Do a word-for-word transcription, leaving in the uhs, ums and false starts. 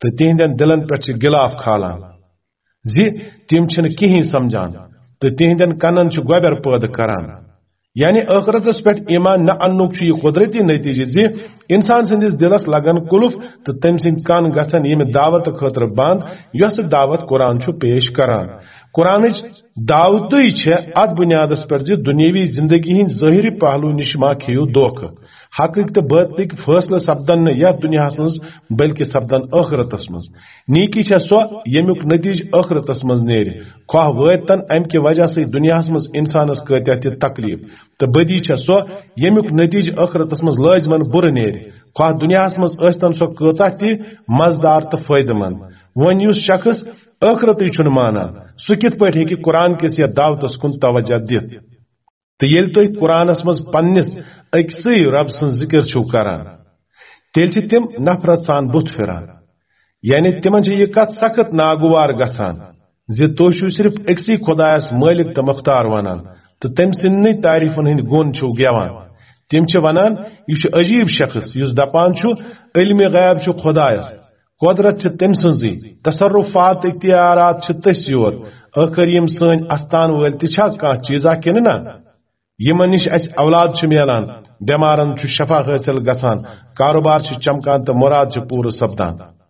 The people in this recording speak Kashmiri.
تہٕ تِہنٛدٮ۪ن دِلن پٮ۪ٹھ چھِ غلاف کھالان زِ تِم چھِنہٕ کِہیٖنۍ سمجھان تہٕ تِہنٛدٮ۪ن کنن چھُ گۄبٮ۪ر پٲدٕ کران۔ یعنی ٲخرتس پٮ۪ٹھ ایمان نہ اننُک چھُ یہِ قۄدرتی نتیجہٕ زِ انسان سٕنٛدِس دِلس لگن قُلف تہٕ تٔمۍ سٕنٛدۍ کن گژھن ییٚمہِ دعوت خٲطرٕ بند، یۄسہٕ دعوت قرآن چھُ پیش کران۔ قرآنٕچ دعوتٕے چھےٚ اتھ بُنیادس پٮ۪ٹھ زِ دُنیٲوی زندگی ہٕنٛدۍ ظٲہری پہلو نِش ما کھیٚیِو دھوکہٕ۔ حقٕکۍ تہٕ بٲطلٕکۍ فٲصلہٕ سپدن نہٕ یتھ دُنیاہس منٛز، بلکہِ سپدن ٲخرتس منٛز۔ نیکی چھےٚ سۄ، ییٚمیُک نتیجہٕ ٲخرتس منٛز نیرِ، خواہ وٲتۍ تن امہِ کہِ وجہ سۭتۍ دُنیاہس منٛز انسانس کۭتیاہ تہِ تکلیف، تہٕ بدی چھےٚ سۄ، ییٚمیُک نتیجہٕ ٲخرتس منٛز لٲزمن بُرٕ نیرِ، خواہ دُنیاہس منٛز ٲسۍ تن سۄ کۭژاہ تہِ مزٕدار تہٕ فٲیدٕ مند۔ وۄنۍ یُس شخص ٲخرتٕے چھُنہٕ مانان، سُہ کِتھ پٲٹھۍ ہیٚکہِ قرآن کِس یتھ دعوتس کُن توجہ دِتھ؟ تہٕ ییٚلہِ تُہۍ قرآنس منٛز پننِس أکسٕے رب سٕنٛز ذِکِر چھِو کران، تیٚلہِ چھِ تِم نفرت سان بُتھ پھِران۔ یعنی تِمن چھِ یہِ کتھ سخت ناگوار گژھان زِ تُہۍ چھِو صرف أکسٕے خۄدایس مٲلِک تہٕ مختار ونان تہٕ تٔمۍ سٕنٛدنٕے تعریفن ہٕنٛدۍ گُن چھِو گٮ۪وان۔ تِم چھِ ونان، "یہِ چھُ عجیب شخص یُس دپان چھُ، 'علمِ غیب چھُ خۄدایس، قۄدرت چھِ تٔمۍ سٕنٛزٕے، تصرفات، اختیارات چھِ تٔسۍ یوت، ٲخر یِم سٲنۍ استان وٲلۍ تہِ چھا کانٛہہ چیٖزا کِنہٕ نہ؟ یِمن نِش اَسہِ اولاد چھُ میلان، بٮ۪مارن چھُ شفا حٲصِل گژھان، کاروبار چھُ چمکان تہٕ مُراد چھُ پوٗرٕ سپدان۔'"